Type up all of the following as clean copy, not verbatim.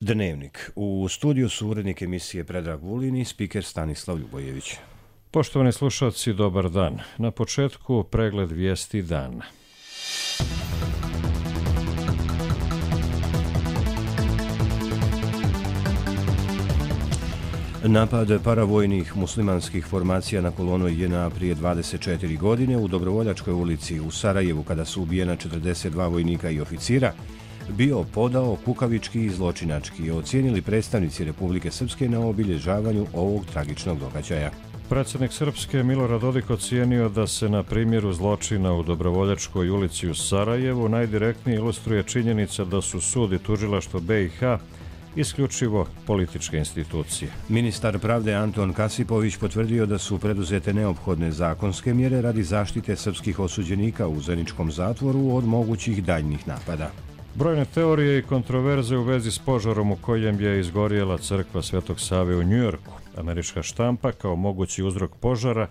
Dnevnik. U studiju su urednik emisije Predrag Vulin i spiker Stanislav Ljubojević. Poštovani slušalci, dobar dan. Na početku pregled vijesti dana. Napad paravojnih muslimanskih formacija na kolonu JNA prije 24 godine u Dobrovoljačkoj ulici u Sarajevu, kada su ubijena 42 vojnika i oficira, bio podao kukavički i zločinački, ocijenili predstavnici Republike Srpske na obilježavanju ovog tragičnog događaja. Predsjednik Srpske Milorad Dodik ocijenio da se na primjeru zločina u Dobrovoljačkoj ulici u Sarajevu najdirektnije ilustruje činjenica da su sud i tužilaštvo BiH isključivo političke institucije. Ministar pravde Anton Kasipović potvrdio da su preduzete neophodne zakonske mjere radi zaštite srpskih osuđenika u Zeničkom zatvoru od mogućih daljnjih napada. Brojne teorije i kontroverze u vezi s požarom u kojem je izgorjela crkva Svetog Save u Njujorku. Američka štampa kao mogući uzrok požara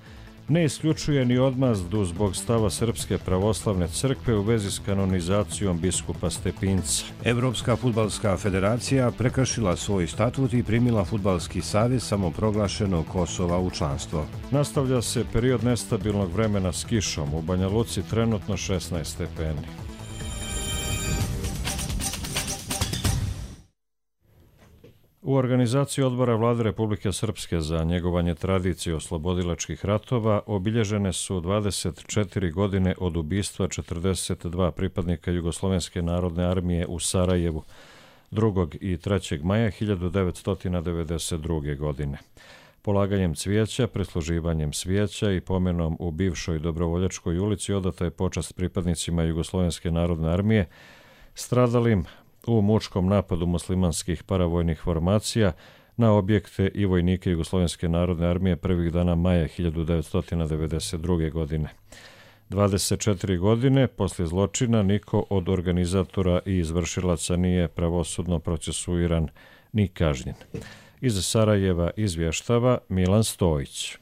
ne isključuje ni odmazdu zbog stava Srpske pravoslavne crkve u vezi s kanonizacijom biskupa Stepinca. Evropska fudbalska federacija prekršila svoj statut i primila Fudbalski savez samoproglašenog Kosova u članstvo. Nastavlja se period nestabilnog vremena s kišom. U Banja Luci trenutno 16 stepeni. U organizaciji odbora Vlade Republike Srpske za njegovanje tradicije oslobodilačkih ratova obilježene su 24 godine od ubistva 42 pripadnika Jugoslovenske narodne armije u Sarajevu 2. i 3. maja 1992. godine. Polaganjem cvijeća, prisluživanjem svijeća i pomenom u bivšoj Dobrovoljačkoj ulici odata je počast pripadnicima Jugoslovenske narodne armije stradalim u mučkom napadu muslimanskih paravojnih formacija na objekte i vojnike Jugoslovenske narodne armije prvih dana maja 1992. godine. 24 godine poslije zločina niko od organizatora i izvršilaca nije pravosudno procesuiran ni kažnjen. Iz Sarajeva izvještava Milan Stojić.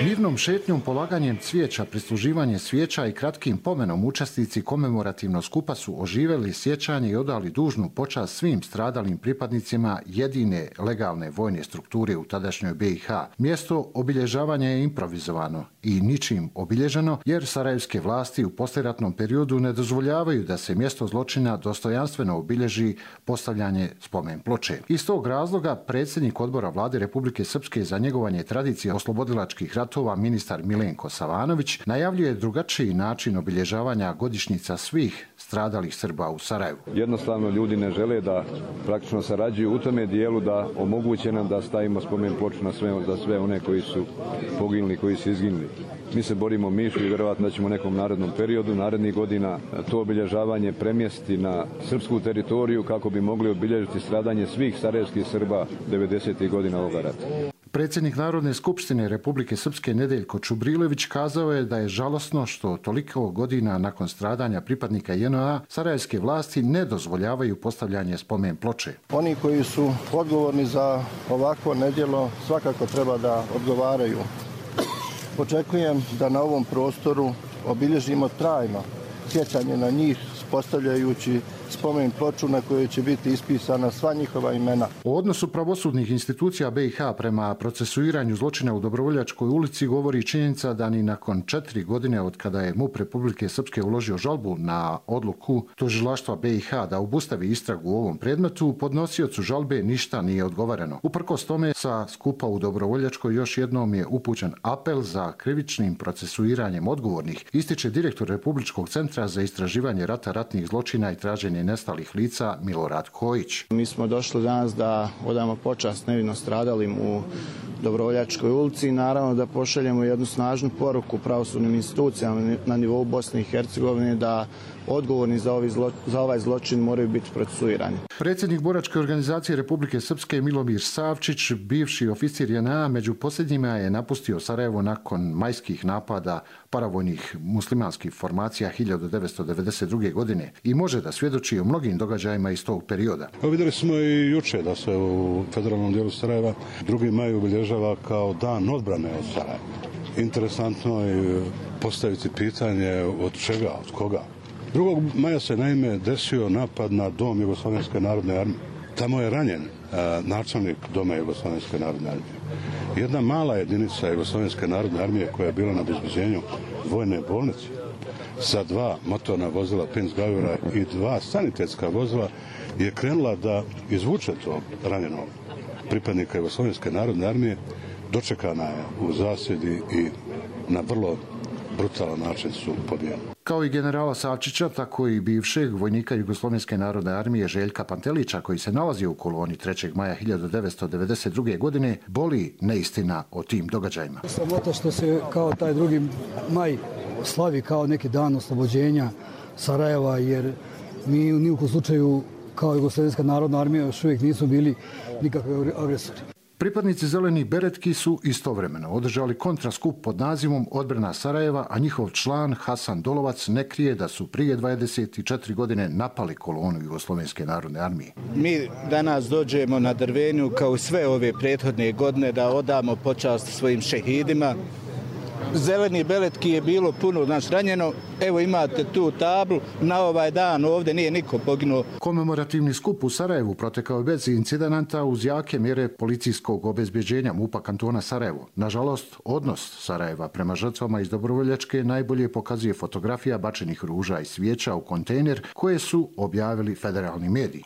Mirnom šetnjom, polaganjem cvijeća, prisluživanjem svijeća i kratkim pomenom učesnici komemorativnog skupa su oživjeli sjećanje i odali dužnu počast svim stradalim pripadnicima jedine legalne vojne strukture u tadašnjoj BiH. Mjesto obilježavanja je improvizovano i ničim obilježeno, jer sarajevske vlasti u poslijeratnom periodu ne dozvoljavaju da se mjesto zločina dostojanstveno obilježi postavljanje spomen ploče. Iz tog razloga predsjednik odbora Vlade Republike Srpske za njegovanje tradicije oslobodilačkih ratova ministar Milenko Savanović najavljuje drugačiji način obilježavanja godišnjica svih stradalih Srba u Sarajevu. Jednostavno ljudi ne žele da praktično sarađuju u tome dijelu da omoguće nam da stavimo spomen ploču za sve one koji su poginuli, koji su izginuli. Mi se borimo mišu i vjerovatno da ćemo u nekom narednom periodu, narednih godina, to obilježavanje premjestiti na srpsku teritoriju kako bi mogli obilježiti stradanje svih sarajevskih Srba 90. godina ovoga rata. Predsjednik Narodne skupštine Republike Srpske Nedeljko Čubrilović kazao je da je žalosno što toliko godina nakon stradanja pripadnika JNA sarajevske vlasti ne dozvoljavaju postavljanje spomen ploče. Oni koji su odgovorni za ovakvo nedjelo svakako treba da odgovaraju. Očekujem da na ovom prostoru obilježimo trajno sjećanje na njih, postavljajući spomen ploču na kojoj će biti ispisana sva njihova imena. O odnosu pravosudnih institucija BiH prema procesuiranju zločina u Dobrovoljačkoj ulici govori činjenica da ni nakon 4 godine od kada je MUP Republike Srpske uložio žalbu na odluku tužilaštva BiH da obustavi istragu u ovom predmetu, podnosiocu žalbe ništa nije odgovoreno. Uprkos tome, sa skupa u Dobrovoljačkoj još jednom je upućen apel za krivičnim procesuiranjem odgovornih, ističe direktor Republičkog centra za istraživanje rata, ratnih zločina i traženje nestalih lica Milorad Kojić. Mi smo došli danas da odamo počast nevino stradalim u Dobrovoljačkoj ulici i naravno da pošaljemo jednu snažnu poruku pravosudnim institucijama na nivou Bosne i Hercegovine da odgovorni za ovaj zločin moraju biti procesuirani. Predsjednik boračke organizacije Republike Srpske Milomir Savčić, bivši oficir JNA, među posljednjima je napustio Sarajevo nakon majskih napada paravojnih muslimanskih formacija 1992. godine i može da svjedoči o mnogim događajima iz tog perioda. Vidjeli smo i juče da se u federalnom dijelu Sarajeva 2. maj obilježava kao dan odbrane od Sarajeva. Interesantno je postaviti pitanje od čega, od koga. 2. maja se naime desio napad na dom Jugoslovenske narodne armije. Tamo je ranjen načelnik doma Jugoslovenske narodne armije. Jedna mala jedinica Jugoslovenske narodne armije koja je bila na obezbeđenju vojne bolnice sa 2 motorna vozila Pinzgauera i 2 sanitetska vozila je krenula da izvuče to ranjenog pripadnika Jugoslovenske narodne armije. Dočekana je u zasjedi i na vrlo brutalan način su pobijeni. Kao i generala Savčića, tako i bivšeg vojnika Jugoslovenske narodne armije Željka Pantelića, koji se nalazio u koloni 3. maja 1992. godine, boli neistina o tim događajima. Sramota što se kao taj 2. maj slavi kao neki dan oslobođenja Sarajeva, jer mi ni u kom slučaju kao Jugoslovenska narodna armija još uvijek nisu bili nikakvi agresori. Pripadnici zelenih beretki su istovremeno održali kontraskup pod nazivom Odbrana Sarajeva, a njihov član Hasan Dolovac ne krije da su prije 24 godine napali kolonu Jugoslovenske narodne armije. Mi danas dođemo na Drvenju kao sve ove prethodne godine da odamo počast svojim šehidima. Zeleni beretki je bilo puno ranjeno. Evo imate tu tablu. Na ovaj dan ovdje nije niko poginuo. Komemorativni skup u Sarajevu protekao je bez incidenata uz jake mjere policijskog obezbeđenja MUP-a kantona Sarajevo. Nažalost, odnos Sarajeva prema žrtvama iz Dobrovoljačke najbolje pokazuje fotografija bačenih ruža i svijeća u kontejner koje su objavili federalni mediji.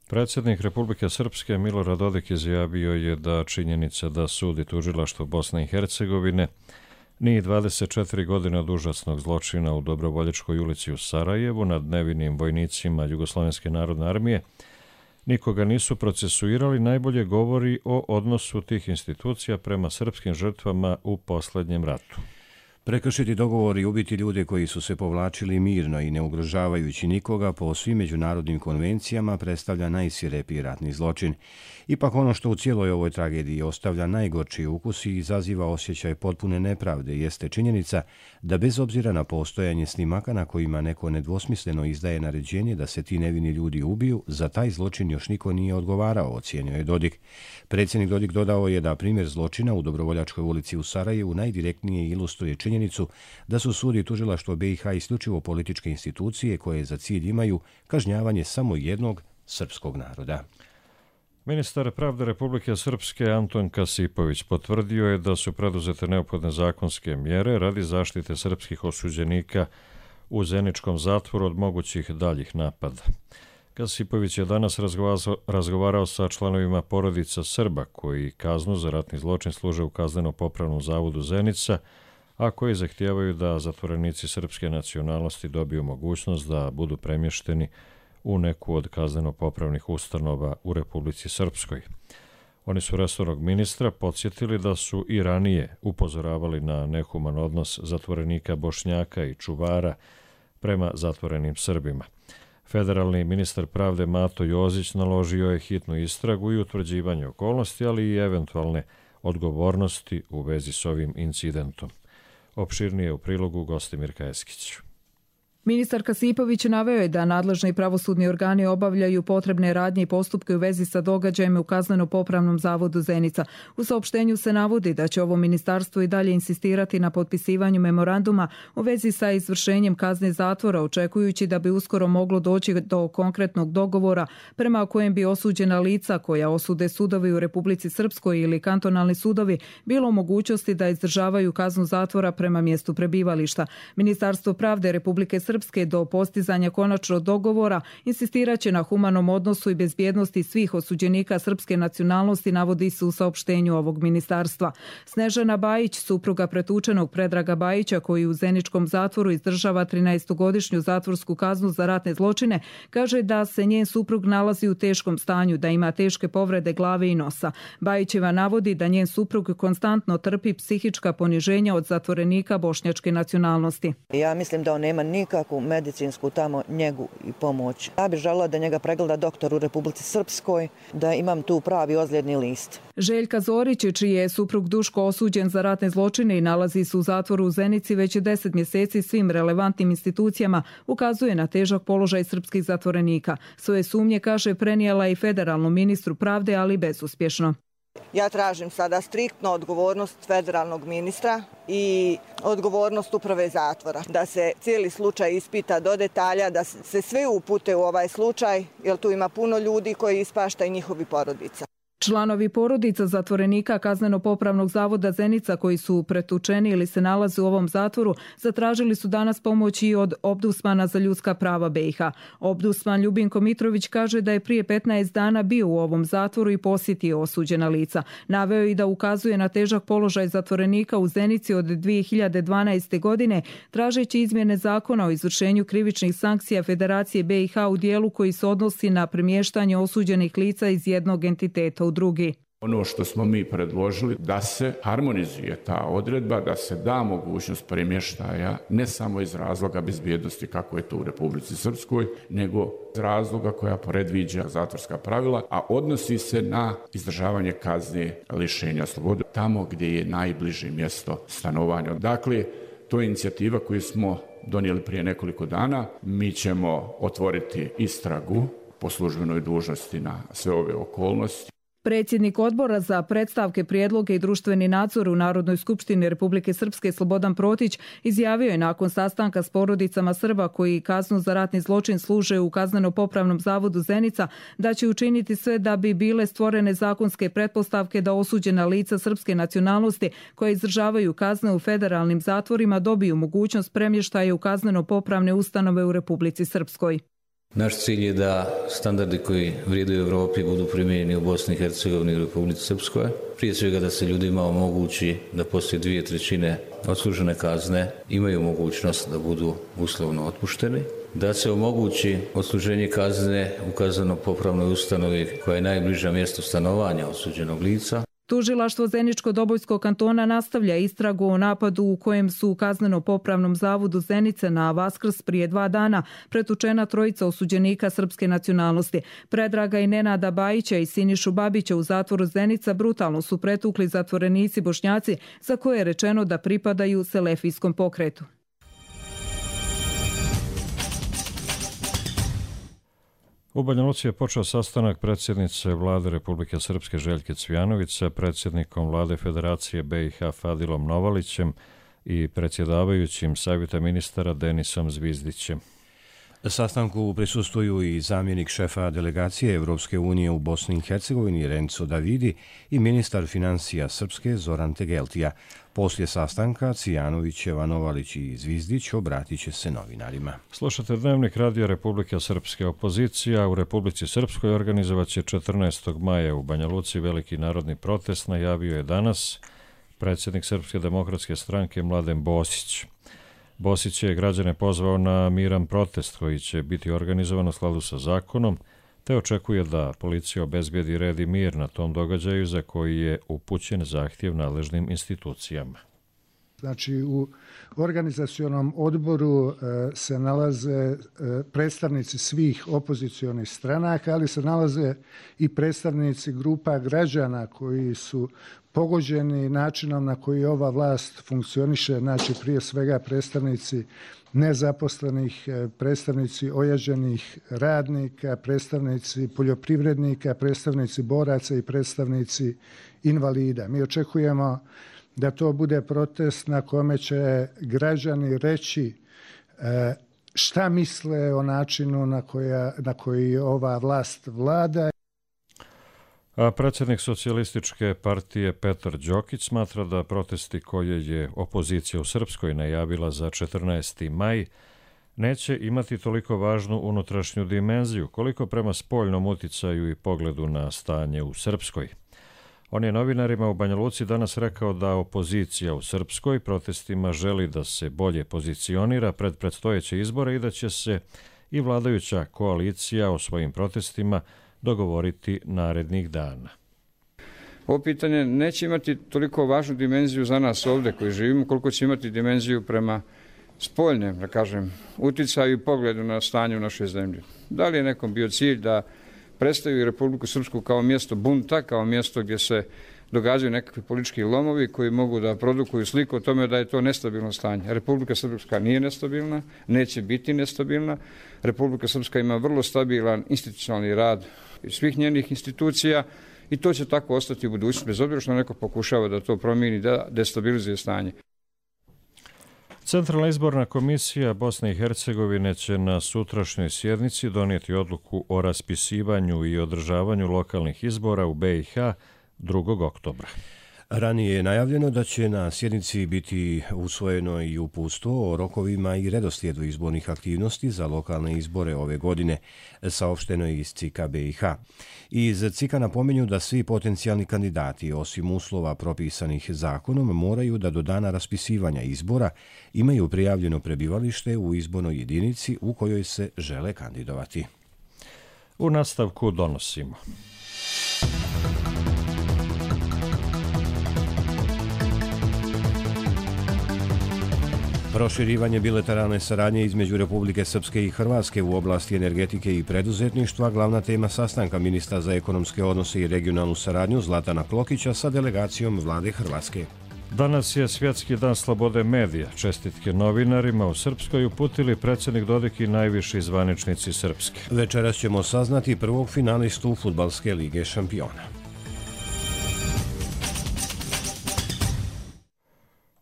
Predsjednik Republike Srpske Milorad Dodik izjavio je da činjenica da sud i tužilaštvo Bosne i Hercegovine nije 24 godine od užasnog zločina u Dobrovoljačkoj ulici u Sarajevu nad nevinim vojnicima Jugoslovenske narodne armije nikoga nisu procesuirali, najbolje govori o odnosu tih institucija prema srpskim žrtvama u posljednjem ratu. Prekršiti dogovor i ubiti ljude koji su se povlačili mirno i ne ugrožavajući nikoga po svim međunarodnim konvencijama predstavlja najsvirepiji ratni zločin. Ipak ono što u cijeloj ovoj tragediji ostavlja najgorči ukus i izaziva osjećaj potpune nepravde jeste činjenica da bez obzira na postojanje snimaka na kojima neko nedvosmisleno izdaje naređenje da se ti nevini ljudi ubiju, za taj zločin još niko nije odgovarao, ocijenio je Dodik. Predsjednik Dodik dodao je da primjer zločina u Dobrovoljačkoj ulici u Sarajevu najdirektnije ilustruje činjenicu da su sud i tužilaštvo BiH isključivo političke institucije koje za cilj imaju kažnjavanje samo jednog srpskog naroda. Ministar pravde Republike Srpske Anton Kasipović potvrdio je da su preduzete neophodne zakonske mjere radi zaštite srpskih osuđenika u Zeničkom zatvoru od mogućih daljih napada. Kasipović je danas razgovarao sa članovima porodica Srba koji kaznu za ratni zločin služe u Kazneno-popravnom zavodu Zenica, a koji zahtijevaju da zatvorenici srpske nacionalnosti dobiju mogućnost da budu premješteni u neku od kazneno-popravnih ustanova u Republici Srpskoj. Oni su resornog ministra podsjetili da su i ranije upozoravali na nehuman odnos zatvorenika Bošnjaka i čuvara prema zatvorenim Srbima. Federalni ministar pravde Mato Jozić naložio je hitnu istragu i utvrđivanje okolnosti, ali i eventualne odgovornosti u vezi s ovim incidentom. Opširnije u prilogu Gostimirka Eskić. Ministar Kasipović naveo je da nadležni pravosudni organi obavljaju potrebne radnje i postupke u vezi sa događajima u Kazneno-popravnom zavodu Zenica. U saopštenju se navodi da će ovo ministarstvo i dalje insistirati na potpisivanju memoranduma u vezi sa izvršenjem kazne zatvora, očekujući da bi uskoro moglo doći do konkretnog dogovora prema kojem bi osuđena lica koja osude sudovi u Republici Srpskoj ili kantonalni sudovi bilo u mogućnosti da izdržavaju kaznu zatvora prema mjestu prebivališta. Ministarstvo pravde Republike Srpske do postizanja konačnog dogovora insistiraće na humanom odnosu i bezbjednosti svih osuđenika srpske nacionalnosti, navodi se u saopštenju ovog ministarstva. Snežana Bajić, supruga pretučenog Predraga Bajića, koji u Zeničkom zatvoru izdržava 13-godišnju zatvorsku kaznu za ratne zločine, kaže da se njen suprug nalazi u teškom stanju, da ima teške povrede glave i nosa. Bajićeva navodi da njen suprug konstantno trpi psihička poniženja od zatvorenika bošnjačke nacionalnosti. Ja mislim da on nema nikakvu medicinsku tamo njegu i pomoć. Ja bih željela da njega pregleda doktor u Republici Srpskoj, da imam tu pravi ozljedni list. Željka Zorić, čiji je suprug Duško osuđen za ratne zločine i nalazi se u zatvoru u Zenici već 10 mjeseci, svim relevantnim institucijama ukazuje na težak položaj srpskih zatvorenika. Svoje sumnje, kaže, prenijela i federalnom ministru pravde, ali bezuspješno. Ja tražim sada striktno odgovornost federalnog ministra i odgovornost uprave zatvora. Da se cijeli slučaj ispita do detalja, da se sve upute u ovaj slučaj, jer tu ima puno ljudi koji ispašta i njihovi porodica. Članovi porodica zatvorenika Kazneno-popravnog zavoda Zenica koji su pretučeni ili se nalaze u ovom zatvoru zatražili su danas pomoć i od Ombudsmana za ljudska prava BiH. Ombudsman Ljubinko Mitrović kaže da je prije 15 dana bio u ovom zatvoru i posjetio osuđena lica. Naveo je i da ukazuje na težak položaj zatvorenika u Zenici od 2012. godine, tražeći izmjene zakona o izvršenju krivičnih sankcija Federacije BiH u dijelu koji se odnosi na premještanje osuđenih lica iz jednog entiteta u drugi. Ono što smo mi predložili da se harmonizuje ta odredba, da se da mogućnost premještaja ne samo iz razloga bezbjednosti kako je to u Republici Srpskoj, nego iz razloga koja predviđa zatvorska pravila, a odnosi se na izdržavanje kazne lišenja slobode tamo gdje je najbliže mjesto stanovanja. Dakle, to je inicijativa koju smo donijeli prije nekoliko dana. Mi ćemo otvoriti istragu po službenoj dužnosti na sve ove okolnosti. Predsjednik odbora za predstavke, prijedloge i društveni nadzor u Narodnoj skupštini Republike Srpske Slobodan Protić izjavio je nakon sastanka s porodicama Srba koji kaznu za ratni zločin služe u Kazneno-popravnom zavodu Zenica da će učiniti sve da bi bile stvorene zakonske pretpostavke da osuđena lica srpske nacionalnosti koja izdržavaju kazne u federalnim zatvorima dobiju mogućnost premještaja u kazneno-popravne ustanove u Republici Srpskoj. Naš cilj je da standardi koji vrijede u Europi budu primijenjeni u Bosni i Hercegovini i Republici Srpskoj. Prije svega da se ljudima omogući da poslije 2/3 odslužene kazne imaju mogućnost da budu uslovno otpušteni. Da se omogući odsluženje kazne u kazneno-popravnoj ustanovi koja je najbliža mjestu stanovanja osuđenog lica. Tužilaštvo Zeničko-Dobojskog kantona nastavlja istragu o napadu u kojem su u Kazneno-popravnom zavodu Zenice na Vaskrs prije 2 dana pretučena 3 osuđenika srpske nacionalnosti. Predraga i Nenada Bajića i Sinišu Babića u zatvoru Zenica brutalno su pretukli zatvorenici Bošnjaci za koje je rečeno da pripadaju selefijskom pokretu. U Banja Luci je počeo sastanak predsjednice Vlade Republike Srpske Željke Cvijanović sa predsjednikom Vlade Federacije BiH Fadilom Novalićem i predsjedavajućim Savjeta ministara Denisom Zvizdićem. Sastanku prisustvuju i zamjenik šefa delegacije Evropske unije u Bosni i Hercegovini Renzo Davidi i ministar financija Srpske Zoran Tegeltija. Poslije sastanka Cvijanovićeva, Novalić i Zvizdić obratit će se novinarima. Slušate Dnevnik Radija Republike Srpske. Opozicija u Republici Srpskoj organizovat će 14. maja u Banja Luci veliki narodni protest, najavio je danas predsjednik Srpske demokratske stranke Mladen Bosić. Bosić je građane pozvao na miran protest koji će biti organizovan u skladu sa zakonom, te očekuje da policija obezbijedi red i mir na tom događaju za koji je upućen zahtjev nadležnim institucijama. Znači, u organizacionom odboru se nalaze predstavnici svih opozicionih stranaka, ali se nalaze i predstavnici grupa građana koji su pogođeni načinom na koji ova vlast funkcioniše, znači prije svega predstavnici nezaposlenih, predstavnici ojađenih radnika, predstavnici poljoprivrednika, predstavnici boraca i predstavnici invalida. Mi očekujemo da to bude protest na kome će građani reći šta misle o načinu na koji ova vlast vlada. A predsjednik Socijalističke partije Petar Đokić smatra da protesti koje je opozicija u Srpskoj najavila za 14. maj neće imati toliko važnu unutrašnju dimenziju koliko prema spoljnom uticaju i pogledu na stanje u Srpskoj. On je novinarima u Banja Luci danas rekao da opozicija u Srpskoj protestima želi da se bolje pozicionira pred predstojeće izbore i da će se i vladajuća koalicija o svojim protestima dogovoriti narednih dana. Ovo pitanje neće imati toliko važnu dimenziju za nas ovdje koji živimo, koliko će imati dimenziju prema spoljnem, da kažem, uticaju i pogledu na stanje u našoj zemlji. Da li je nekom bio cilj da predstavi Republiku Srpsku kao mjesto bunta, kao mjesto gdje se događaju nekakvi politički lomovi koji mogu da produkuju sliku o tome da je to nestabilno stanje. Republika Srpska nije nestabilna, neće biti nestabilna. Republika Srpska ima vrlo stabilan institucionalni rad svih njenih institucija i to će tako ostati u budućnosti, bez obzira što neko pokušava da to promijeni, da destabilizuje stanje. Centralna izborna komisija Bosne i Hercegovine će na sutrašnjoj sjednici donijeti odluku o raspisivanju i održavanju lokalnih izbora u BiH 2. oktobra. Ranije je najavljeno da će na sjednici biti usvojeno i uputstvo o rokovima i redoslijedu izbornih aktivnosti za lokalne izbore ove godine, saopšteno je iz CIK-a BiH. Iz CIK-a napominju da svi potencijalni kandidati, osim uslova propisanih zakonom, moraju da do dana raspisivanja izbora imaju prijavljeno prebivalište u izbornoj jedinici u kojoj se žele kandidovati. U nastavku donosimo. Proširivanje bilateralne saradnje između Republike Srpske i Hrvatske u oblasti energetike i preduzetništva glavna tema sastanka ministra za ekonomske odnose i regionalnu saradnju Zlatana Klokića sa delegacijom vlade Hrvatske. Danas je Svjetski dan slobode medija. Čestitke novinarima u Srpskoj uputili predsjednik Dodik i najviši zvaničnici Srpske. Večeras ćemo saznati prvog finalistu Fudbalske lige šampiona.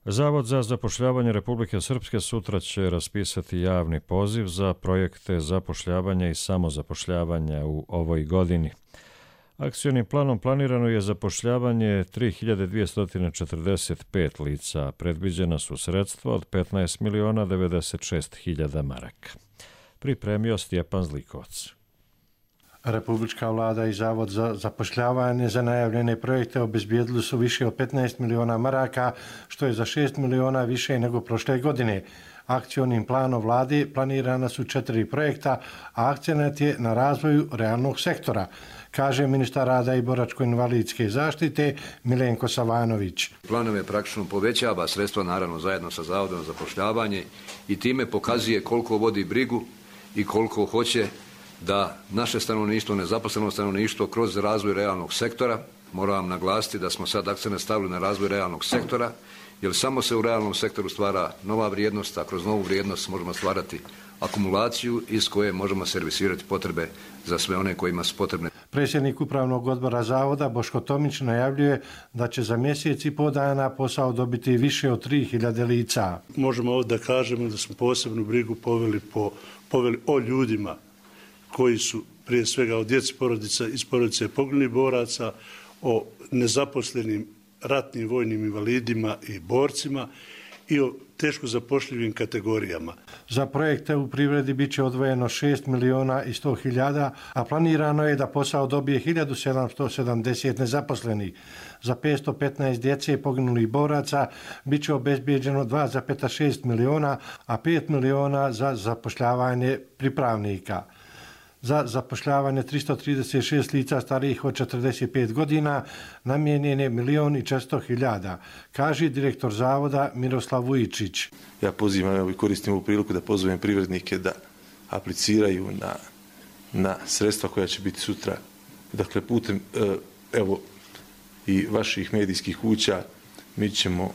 Zavod za zapošljavanje Republike Srpske sutra će raspisati javni poziv za projekte zapošljavanja i samozapošljavanja u ovoj godini. Akcionim planom planirano je zapošljavanje 3245 lica, a predviđena su sredstva od 15.096.000 maraka. Pripremio Stjepan Zlikovac. Republička vlada i Zavod za zapošljavanje za najavljene projekte obezbijedili su više od 15 miliona maraka, što je za 6 miliona više nego prošle godine. Akcionim planom vlade planirana su 4 projekta, a akcenat je na razvoju realnog sektora, kaže ministar rada i boračko-invalidske zaštite Milenko Savanović. Planove praktično povećava sredstva, naravno zajedno sa Zavodom za zapošljavanje, i time pokazuje koliko vodi brigu i koliko hoće da naše stanovništvo, nezaposleno stanovništvo kroz razvoj realnog sektora, moram vam naglasiti da smo sad akcent stavili na razvoj realnog sektora, jer samo se u realnom sektoru stvara nova vrijednost, a kroz novu vrijednost možemo stvarati akumulaciju iz koje možemo servisirati potrebe za sve one kojima su potrebne. Predsjednik Upravnog odbora Zavoda Boško Tomić najavljuje da će za mjesec i po dana posao dobiti više od 3000 lica. Možemo ovdje da kažemo da smo posebnu brigu poveli o ljudima koji su prije svega od djece porodica iz porodice poginulih boraca, o nezaposlenim ratnim vojnim invalidima i borcima i o teško zapošljivim kategorijama. Za projekte u privredi bit će odvojeno 6.100.000, a planirano je da posao dobije 1770 nezaposlenih. Za 515 djece poginulih boraca bit će obezbijeđeno 2,6 miliona, a 5 miliona za zapošljavanje pripravnika. Za zapošljavanje 336 lica starijih od 45 godina namijenjen je 1.400.000, kaže direktor Zavoda Miroslav Vujičić. Ja pozivam i koristim ovu priliku da pozovem privrednike da apliciraju na sredstva koja će biti sutra. Dakle, putem i vaših medijskih kuća mi ćemo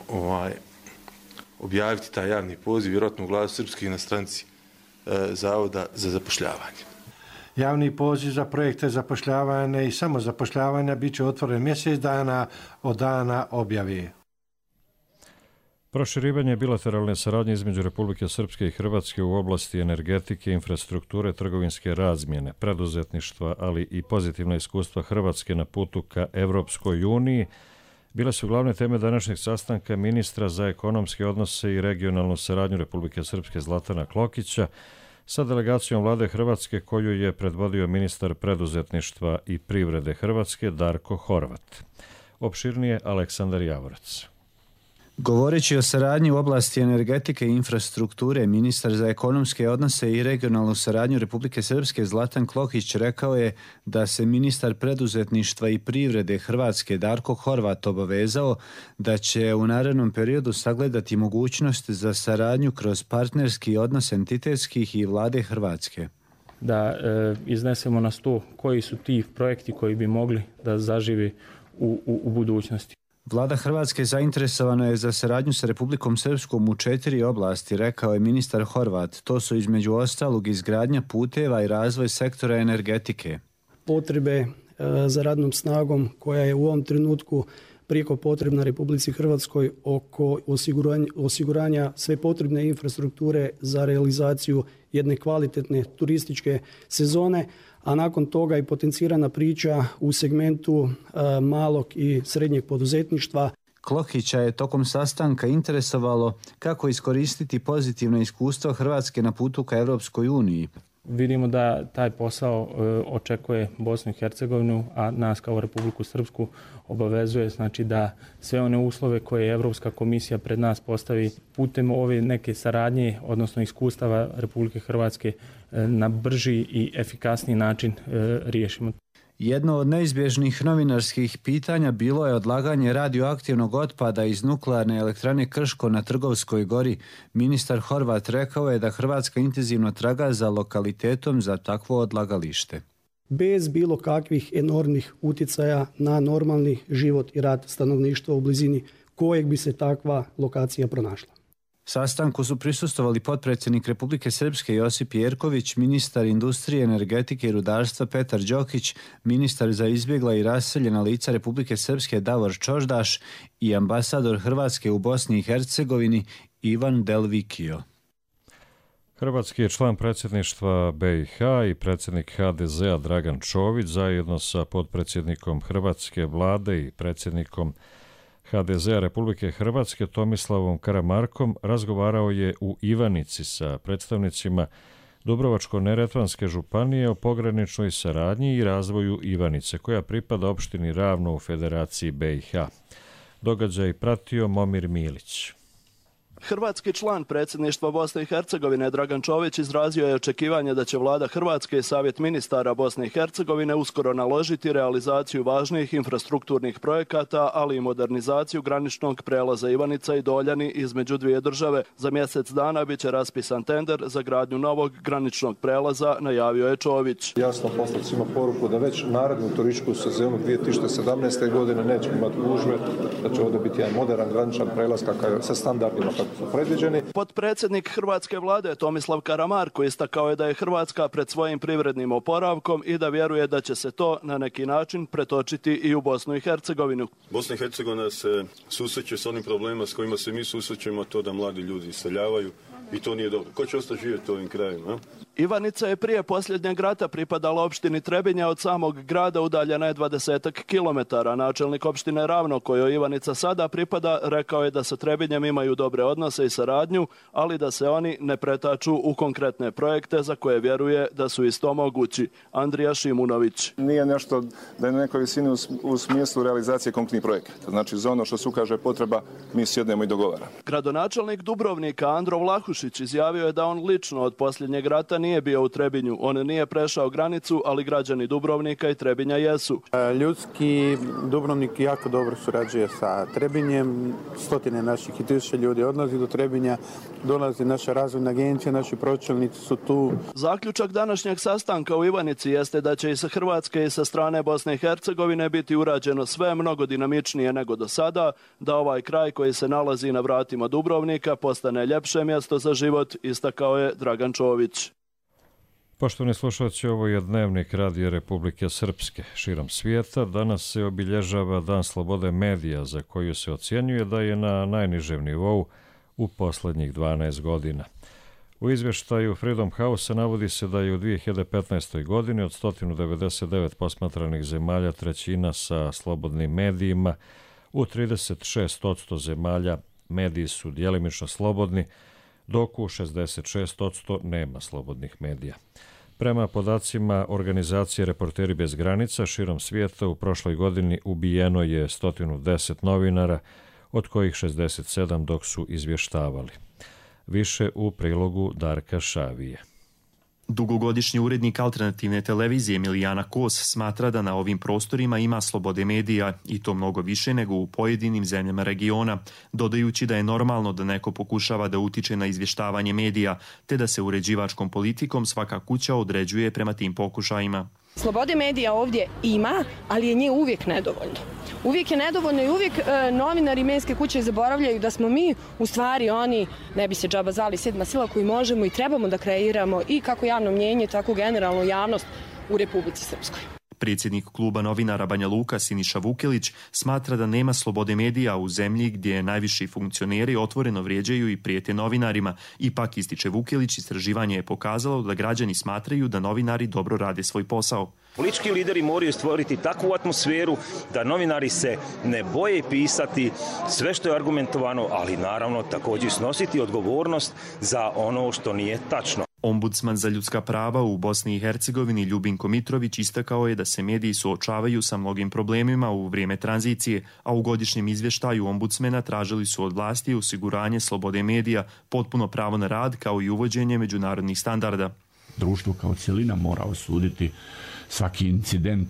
objaviti taj javni poziv, vjerojatno u Glasu Srpske na stranici Zavoda za zapošljavanje. Javni poziv za projekte zapošljavanja i samozapošljavanja bit će otvoren mjesec dana od dana objave. Proširivanje bilateralne saradnje između Republike Srpske i Hrvatske u oblasti energetike, infrastrukture, trgovinske razmjene, preduzetništva, ali i pozitivna iskustva Hrvatske na putu ka Evropskoj uniji bile su glavne teme današnjeg sastanka ministra za ekonomske odnose i regionalnu saradnju Republike Srpske Zlatana Klokića sa delegacijom vlade Hrvatske koju je predvodio ministar preduzetništva i privrede Hrvatske Darko Horvat. Opširnije Aleksandar Javorac. Govoreći o saradnji u oblasti energetike i infrastrukture, ministar za ekonomske odnose i regionalnu saradnju Republike Srpske Zlatan Klokić rekao je da se ministar preduzetništva i privrede Hrvatske Darko Horvat obavezao da će u narednom periodu sagledati mogućnost za saradnju kroz partnerski odnos entitetskih i vlade Hrvatske. Da iznesemo na sto koji su ti projekti koji bi mogli da zaživi u budućnosti. Vlada Hrvatske zainteresovana je za saradnju sa Republikom Srpskom u 4 oblasti, rekao je ministar Horvat. To su između ostalog izgradnja puteva i razvoj sektora energetike. Potrebe za radnom snagom koja je u ovom trenutku prijeko potrebna Republici Hrvatskoj oko osiguranja sve potrebne infrastrukture za realizaciju jedne kvalitetne turističke sezone, a nakon toga i potencirana priča u segmentu malog i srednjeg poduzetništva. Klohića je tokom sastanka interesovalo kako iskoristiti pozitivno iskustvo Hrvatske na putu ka Europskoj uniji. Vidimo da taj posao očekuje Bosnu i Hercegovinu, a nas kao Republiku Srpsku obavezuje znači da sve one uslove koje Evropska komisija pred nas postavi putem ove neke saradnje, odnosno iskustava Republike Hrvatske na brži i efikasniji način riješimo. Jedno od neizbježnih novinarskih pitanja bilo je odlaganje radioaktivnog otpada iz nuklearne elektrane Krško na Trgovskoj gori. Ministar Horvat rekao je da Hrvatska intenzivno traga za lokalitetom za takvo odlagalište. Bez bilo kakvih enormnih utjecaja na normalni život i rad stanovništva u blizini kojeg bi se takva lokacija pronašla. Sastanku su prisustvovali potpredsjednik Republike Srpske Josip Jerković, ministar industrije, energetike i rudarstva Petar Đokić, ministar za izbjegla i raseljena lica Republike Srpske Davor Čoždaš i ambasador Hrvatske u Bosni i Hercegovini Ivan Delvikio. Hrvatski je član predsjedništva BiH i predsjednik HDZ-a Dragan Čović zajedno sa potpredsjednikom Hrvatske vlade i predsjednikom HDZ-a Republike Hrvatske Tomislavom Karamarkom razgovarao je u Ivanici sa predstavnicima Dubrovačko-neretvanske županije o pograničnoj saradnji i razvoju Ivanice, koja pripada opštini Ravno u Federaciji BiH. Događaj pratio Momir Milić. Hrvatski član predsjedništva Bosne i Hercegovine Dragan Čović izrazio je očekivanje da će vlada Hrvatske i Savjet ministara Bosne i Hercegovine uskoro naložiti realizaciju važnih infrastrukturnih projekata, ali i modernizaciju graničnog prelaza Ivanica i Doljani između dvije države. Za mjesec dana bit će raspisan tender za gradnju novog graničnog prelaza, najavio je Čović. Jasno poslati svima poruku da već narednu turističku sezonu 2017. godine nećemo imati gužve, da će ovdje biti jedan moderan graničan prelaz kakav sa standardima predviđeni. Potpredsjednik Hrvatske vlade Tomislav Karamarko istakao je da je Hrvatska pred svojim privrednim oporavkom i da vjeruje da će se to na neki način pretočiti i u Bosnu i Hercegovinu. Bosna i Hercegovina se susreće s onim problemima s kojima se mi susrećemo, to da mladi ljudi iseljavaju i to nije dobro. Ko će ostati živjeti u ovim krajima? Ivanica je prije posljednjeg rata pripadala opštini Trebinja, od samog grada udaljena je 20 kilometara. Načelnik opštine Ravno, kojoj Ivanica sada pripada, rekao je da sa Trebinjem imaju dobre odnose i saradnju, ali da se oni ne pretaču u konkretne projekte za koje vjeruje da su isto mogući. Andrija Šimunović. Nije nešto da je na nekoj visini u smislu realizacije konkretnih projekata. Znači za ono što se ukaže potreba mi sjednemo i dogovaramo. Gradonačelnik Dubrovnika Andro Vlahušić izjavio je da on lično od posljednjeg rata nije bio u Trebinju. On nije prešao granicu, ali građani Dubrovnika i Trebinja jesu. Ljudski Dubrovnik jako dobro surađuje sa Trebinjem. Stotine naših i tisuće ljudi odlazi do Trebinja, dolazi naša razvojna agencija, naši pročelnici su tu. Zaključak današnjeg sastanka u Ivanici jeste da će i sa Hrvatske i sa strane Bosne i Hercegovine biti urađeno sve mnogo dinamičnije nego do sada, da ovaj kraj koji se nalazi na vratima Dubrovnika postane ljepše mjesto za život, istakao je Dragan Čović. Poštovani slušalci, ovo je Dnevnik Radija Republike Srpske. Širom svijeta danas se obilježava Dan slobode medija, za koju se ocjenjuje da je na najnižem nivou u posljednjih 12 godina. U izvještaju Freedom House navodi se da je u 2015. godini od 199 posmatranih zemalja trećina sa slobodnim medijima. U 36% zemalja mediji su djelimično slobodni, dok u 66% nema slobodnih medija. Prema podacima organizacije Reporteri bez granica, širom svijeta u prošloj godini ubijeno je 110 novinara, od kojih 67 dok su izvještavali. Više u prilogu Darka Šavije. Dugogodišnji urednik alternativne televizije Milijana Kos smatra da na ovim prostorima ima slobode medija i to mnogo više nego u pojedinim zemljama regiona, dodajući da je normalno da neko pokušava da utiče na izvještavanje medija, te da se uređivačkom politikom svaka kuća određuje prema tim pokušajima. Slobode medija ovdje ima, ali je nje uvijek nedovoljno. Uvijek je nedovoljno i uvijek novinari i medijske kuće zaboravljaju da smo mi u stvari oni, ne bi se džaba zvali, sedma sila koji možemo i trebamo da kreiramo i kako javno mnjenje, tako generalno javnost u Republici Srpskoj. Predsjednik kluba novinara Banja Luka Siniša Vukelić smatra da nema slobode medija u zemlji gdje najviši funkcioneri otvoreno vrijeđaju i prijete novinarima. Ipak, ističe Vukelić, istraživanje je pokazalo da građani smatraju da novinari dobro rade svoj posao. Politički lideri moraju stvoriti takvu atmosferu da novinari se ne boje pisati sve što je argumentovano, ali naravno također snositi odgovornost za ono što nije tačno. Ombudsman za ljudska prava u Bosni i Hercegovini Ljubinko Mitrović istakao je da se mediji suočavaju sa mnogim problemima u vrijeme tranzicije, a u godišnjem izvještaju ombudsmena tražili su od vlasti osiguranje slobode medija, potpuno pravo na rad kao i uvođenje međunarodnih standarda. Društvo kao cjelina mora osuditi svaki incident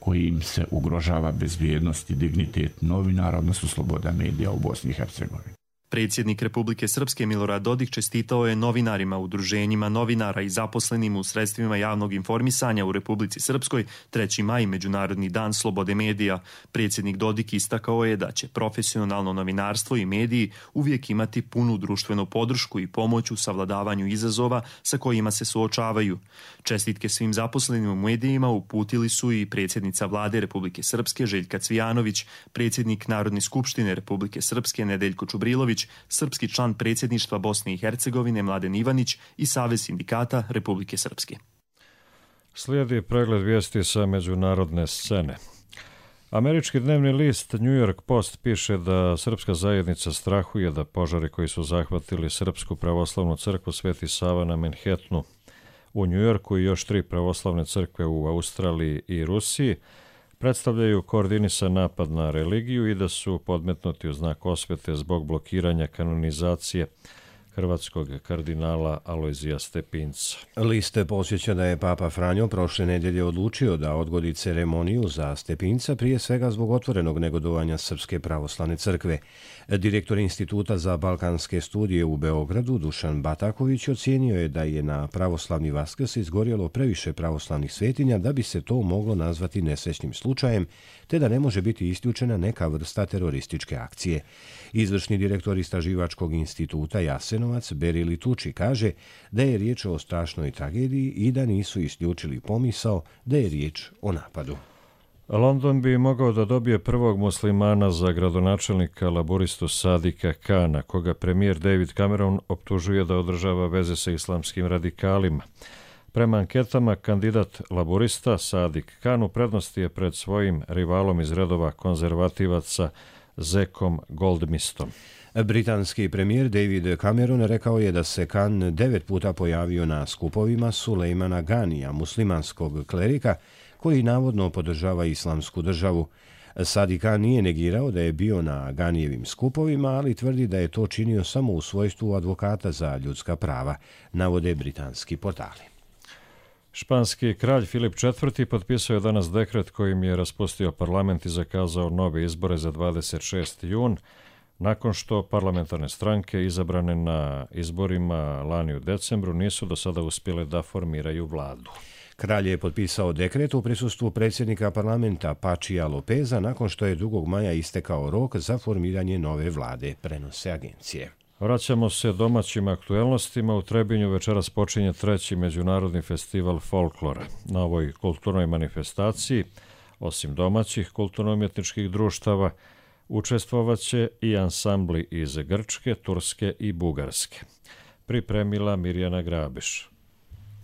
koji im se ugrožava bezbjednost i dignitet novinara, odnosno sloboda medija u Bosni i Hercegovini. Predsjednik Republike Srpske Milorad Dodik čestitao je novinarima, udruženjima novinara i zaposlenim u sredstvima javnog informisanja u Republici Srpskoj 3. maj, Međunarodni dan slobode medija. Predsjednik Dodik istakao je da će profesionalno novinarstvo i mediji uvijek imati punu društvenu podršku i pomoć u savladavanju izazova sa kojima se suočavaju. Čestitke svim zaposlenim u medijima uputili su i predsjednica Vlade Republike Srpske Željka Cvijanović, predsjednik Narodne skupštine Republike Srpske Nedeljko Čubrilović, srpski član predsjedništva Bosne i Hercegovine Mladen Ivanić i Savez sindikata Republike Srpske. Slijedi pregled vijesti sa međunarodne scene. Američki dnevni list New York Post piše da srpska zajednica strahuje da požari koji su zahvatili Srpsku pravoslavnu crkvu Sveti Sava na Manhattanu u New Yorku i još 3 pravoslavne crkve u Australiji i Rusiji predstavljaju koordinisan napad na religiju i da su podmetnuti u znak osvete zbog blokiranja kanonizacije hrvatskog kardinala Alojzija Stepinca. List posjeća da je Papa Franjo prošle nedjelje odlučio da odgodi ceremoniju za Stepinca, prije svega zbog otvorenog negodovanja Srpske pravoslavne crkve. Direktor Instituta za balkanske studije u Beogradu Dušan Bataković ocijenio je da je na pravoslavni Vaskrs izgorjelo previše pravoslavnih svetinja da bi se to moglo nazvati nesrećnim slučajem, te da ne može biti isključena neka vrsta terorističke akcije. Izvršni direktor Istraživačkog instituta Jasenovac Berili Tuči kaže da je riječ o strašnoj tragediji i da nisu isključili pomisao da je riječ o napadu. London bi mogao da dobije prvog muslimana za gradonačelnika laboristu Sadika Kana, koga premijer David Cameron optužuje da održava veze sa islamskim radikalima. Prema anketama, kandidat laborista Sadik Khan u prednosti je pred svojim rivalom iz redova konzervativaca Zekom Goldmistom. Britanski premijer David Cameron rekao je da se Khan 9 puta pojavio na skupovima Sulejmana Ganija, muslimanskog klerika, koji navodno podržava islamsku državu. Sadik Khan nije negirao da je bio na Ganijevim skupovima, ali tvrdi da je to činio samo u svojstvu advokata za ljudska prava, navode britanski portali. Španski kralj Filip IV. Potpisao je danas dekret kojim je raspustio parlament i zakazao nove izbore za 26. jun, nakon što parlamentarne stranke izabrane na izborima lani u decembru nisu do sada uspjele da formiraju vladu. Kralj je potpisao dekret u prisustvu predsjednika parlamenta Pačija Lopeza nakon što je 2. maja istekao rok za formiranje nove vlade, prenose agencije. Vraćamo se domaćim aktuelnostima. U Trebinju večeras počinje 3. međunarodni festival folklora. Na ovoj kulturnoj manifestaciji, osim domaćih kulturno-umjetničkih društava, učestvovaće i ansambli iz Grčke, Turske i Bugarske. Pripremila Mirjana Grabiš.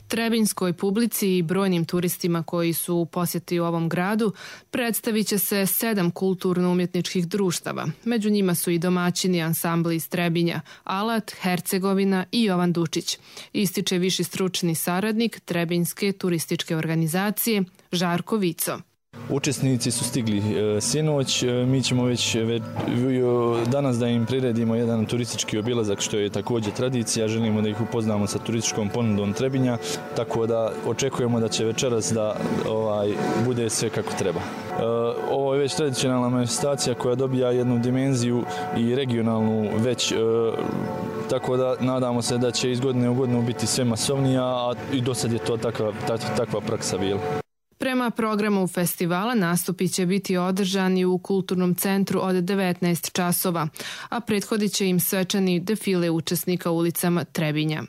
Trebinjskoj publici i brojnim turistima koji su u posjeti u ovom gradu predstavit će se 7 kulturno-umjetničkih društava. Među njima su i domaćini ansambli iz Trebinja, Alat, Hercegovina i Jovan Dučić, ističe viši stručni saradnik Trebinjske turističke organizacije Žarko Vico. Učesnici su stigli sinoć, mi ćemo već danas da im priredimo jedan turistički obilazak, što je također tradicija, želimo da ih upoznamo sa turističkom ponudom Trebinja, tako da očekujemo da će večeras da bude sve kako treba. Ovo je već tradicionalna manifestacija koja dobija jednu dimenziju i regionalnu već, tako da nadamo se da će iz godine u godinu biti sve masovnija, a i do sad je to takva praksa bila. Prema programu festivala nastupi će biti održani u kulturnom centru od 19 časova, a prethodit će im svečani defile učesnika ulicama Trebinja.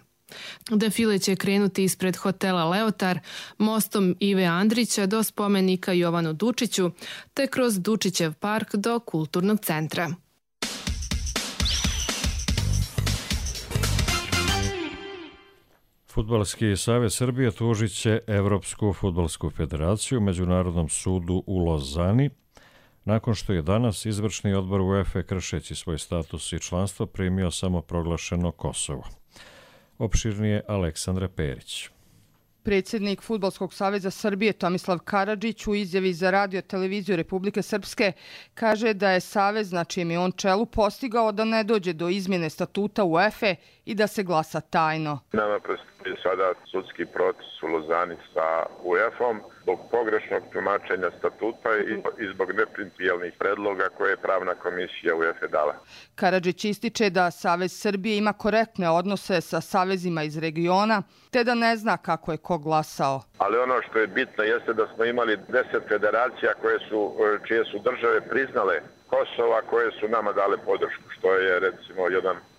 Defile će krenuti ispred hotela Leotar, mostom Ive Andrića do spomenika Jovanu Dučiću, te kroz Dučićev park do kulturnog centra. Fudbalski savez Srbije tužit će Evropsku fudbalsku federaciju Međunarodnom sudu u Lozani, nakon što je danas izvršni odbor UEFA kršeći svoj status i članstvo primio samoproglašeno Kosovo. Opširnije Aleksandra Perić. Predsjednik Fudbalskog saveza Srbije Tomislav Karadžić u izjavi za radio televiziju Republike Srpske kaže da je savez na čijem je on čelu postigao da ne dođe do izmjene statuta UEFA i da se glasa tajno. Nama predstoji sada sudski proces u Lozani sa UEFA-om zbog pogrešnog tumačenja statuta i zbog neprincipijelnih predloga koje je pravna komisija UEFA dala. Karadžić ističe da Savez Srbije ima korektne odnose sa savezima iz regiona, te da ne zna kako je ko glasao. Ali ono što je bitno jeste da smo imali 10 federacija čije su države priznale Kosova, koje su nama dale podršku, što je recimo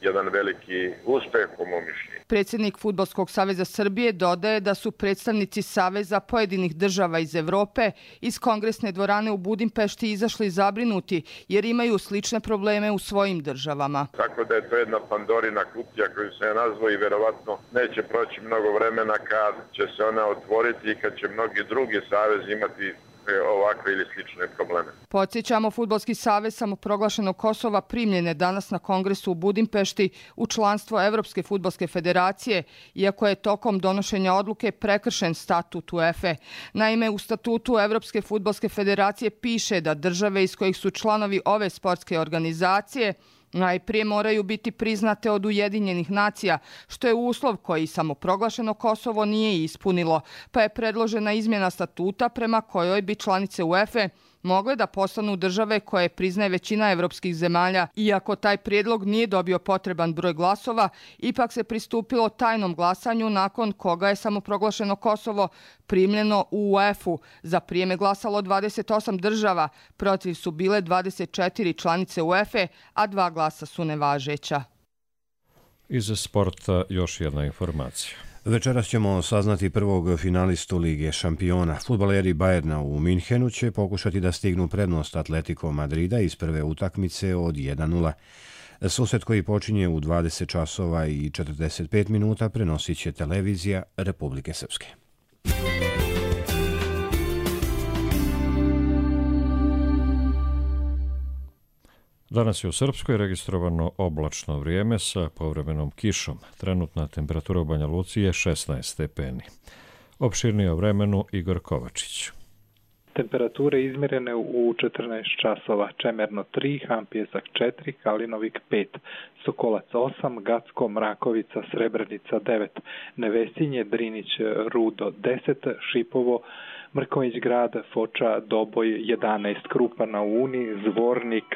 jedan veliki uspeh po mom mišljenju. Predsjednik Fudbalskog saveza Srbije dodaje da su predstavnici saveza pojedinih država iz Evrope iz kongresne dvorane u Budimpešti izašli zabrinuti jer imaju slične probleme u svojim državama. Tako da je to jedna Pandorina kutija koju se nazvao i verovatno neće proći mnogo vremena kad će se ona otvoriti i kad će mnogi drugi savezi imati ovakve ili slične probleme. Podsjećamo, Fudbalski savez samoproglašenog Kosova primljen je danas na kongresu u Budimpešti u članstvo Evropske fudbalske federacije, iako je tokom donošenja odluke prekršen statut UEFA. Naime, u statutu Evropske fudbalske federacije piše da države iz kojih su članovi ove sportske organizacije najprije moraju biti priznate od Ujedinjenih nacija, što je uslov koji samoproglašeno Kosovo nije ispunilo, pa je predložena izmjena statuta prema kojoj bi članice UEFA mogle da postanu države koje priznaje većina evropskih zemalja. Iako taj prijedlog nije dobio potreban broj glasova, ipak se pristupilo tajnom glasanju nakon koga je samoproglašeno Kosovo primljeno u UEFA-u. Za prijem je glasalo 28 država, protiv su bile 24 članice UEFA, a 2 glasa su nevažeća. Iz sporta još jedna informacija. Večeras ćemo saznati prvog finalistu Lige šampiona. Fudbaleri Bayerna u Minhenu će pokušati da stignu prednost Atletico Madrida iz prve utakmice od 1:0. Susret koji počinje u 20 časova i 45 minuta prenosit će televizija Republike Srpske. Danas je u Srpskoj registrovano oblačno vrijeme sa povremenom kišom. Trenutna temperatura u Banja Luci je 16 stepeni. Opširnije o vremenu Igor Kovačić. Temperature izmjerene u 14 časova. Čemerno 3, Hampjesak 4, Kalinovik 5, Sokolac 8, Gacko, Mrakovica, Srebrenica 9, Nevesinje, Drinić, Rudo 10, Šipovo, Mrković grad, Foča, Doboj 11, Krupa na Uni, Zvornik,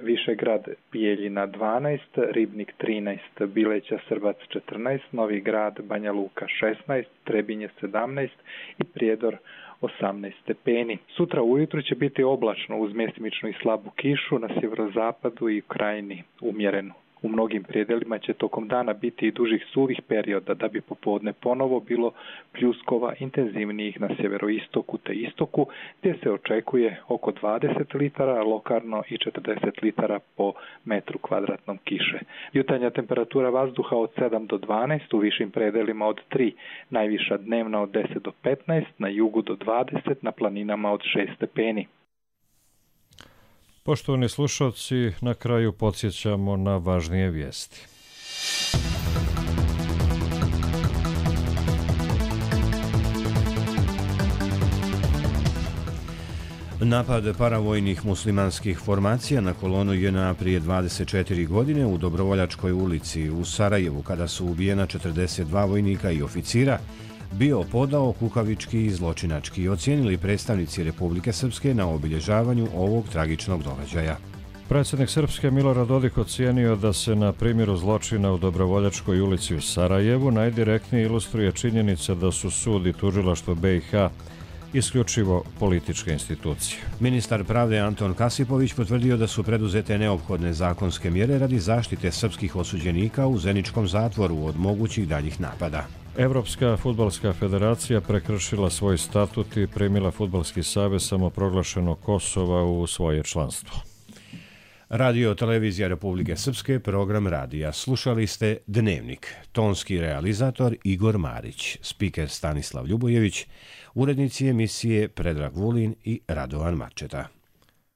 Višegrad, Bijeljina 12, Ribnik 13, Bileća, Srbac 14, Novi grad, Banja Luka 16, Trebinje 17 i Prijedor 18 stepeni. Sutra ujutru će biti oblačno uz mjestimičnu i slabu kišu, na sjeverozapadu i u krajini umjerenu. U mnogim predjelima će tokom dana biti i dužih suvih perioda, da bi popodne ponovo bilo pljuskova intenzivnijih na sjeveroistoku te istoku, gdje se očekuje oko 20 litara, lokalno i 40 litara po metru kvadratnom kiše. Jutarnja temperatura vazduha od 7 do 12, u višim predjelima od 3, najviša dnevna od 10 do 15, na jugu do 20, na planinama od 6 stepeni. Poštovani slušalci, na kraju podsjećamo na važnije vijesti. Napad paravojnih muslimanskih formacija na kolonu JNA prije 24 godine u Dobrovoljačkoj ulici u Sarajevu, kada su ubijena 42 vojnika i oficira, bio podao kukavički i zločinački, ocijenili predstavnici Republike Srpske na obilježavanju ovog tragičnog događaja. Predsjednik Srpske Milorad Dodik ocijenio da se na primjeru zločina u Dobrovoljačkoj ulici u Sarajevu najdirektnije ilustruje činjenica da su sud i tužilaštvo BiH isključivo političke institucije. Ministar pravde Anton Kasipović potvrdio da su preduzete neophodne zakonske mjere radi zaštite srpskih osuđenika u Zeničkom zatvoru od mogućih daljih napada. Evropska fudbalska federacija prekršila svoj statut i primila Fudbalski savez samoproglašenog Kosova u svoje članstvo. Radio Televizija Republike Srpske, program radija. Slušali ste Dnevnik. Tonski realizator Igor Marić, spiker Stanislav Ljubojević, urednici emisije Predrag Vulin i Radovan Mačeta.